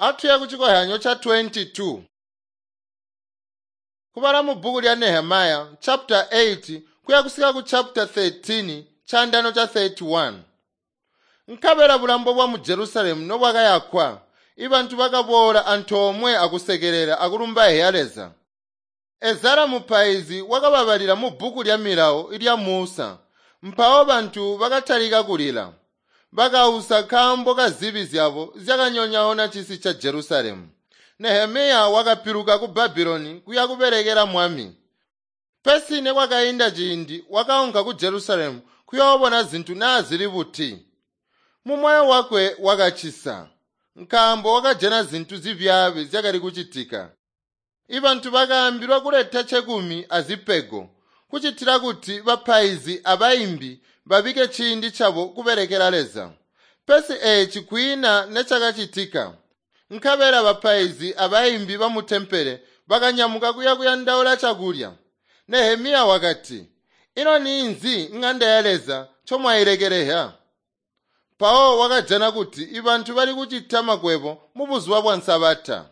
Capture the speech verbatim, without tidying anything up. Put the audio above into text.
Atuye kuchikohyanyo cha twenty-two. Kubala mu bhuku lya Nehemiah chapter eight kuya kusika ku chapter thirteen chandano cha thirty-one. Nkabela bulambo bwa mu Jerusalemu nobwakayakwa, ibantu bakaboola antoomwe akusekelela akulumba ya Leza. Ezara mupaizi wakababalila mu bhuku lya milawo lya Musa. Mpawo bantu bakatalika kulila. Bakausa nkaambo ka zibi zyabo zyakanyonyoona cisi ca Jerusalemu. Nehemiya wakapiluka ku Babuloni kuya kubelekela mwami. Pesi nekwakainda ciindi wakaunka ku Jerusalemu kuyoobona zintu naa zili buti. Mumoyo wakwe wakacisa, nkaambo wakajana zintu zibyaabi zyakali kucitika. Ibantu bakaambilwa kuleta cekumi azipego, kucitila kuti bapaizi abaimbi babike ciindi cabo kubelekela Leza. Pesi eeci kwiina necakacitika. Nkabela bapaizi abaimbi bamutempele bakanyamuka kuya kuyandaula cakulya. Nehemiya wakati, Ino ninzi ŋanda ya Leza ncomwailekeleha? Mpawo wakajana kuti ibantu bali kucita makwebo mubuzuba bwa Nsabata.